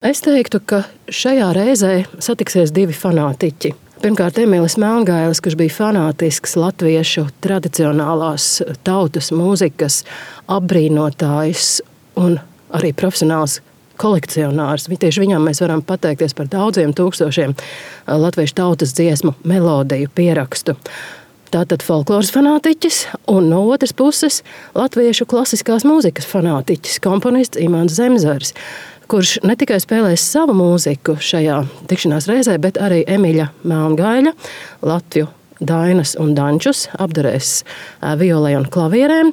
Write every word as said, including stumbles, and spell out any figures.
Es teiktu, ka šajā reizē satiksies divi fanātiķi. Pirmkārt, Emīlis Melngailis, kurš bija fanātisks latviešu tradicionālās tautas mūzikas apbrīnotājs un arī profesionāls kolekcionārs. Tieši viņam mēs varam pateikties par daudziem tūkstošiem latviešu tautas dziesmu melodiju pierakstu. Tātad folkloras fanātiķis un no otras puses latviešu klasiskās mūzikas fanātiķis, komponists Imants Zemzars, kurš ne tikai spēlēs savu mūziku šajā tikšanās reizē, bet arī Emīļa Melngaiļa, Latviju Dainas un Dančus apdarēs violē un klavierēm.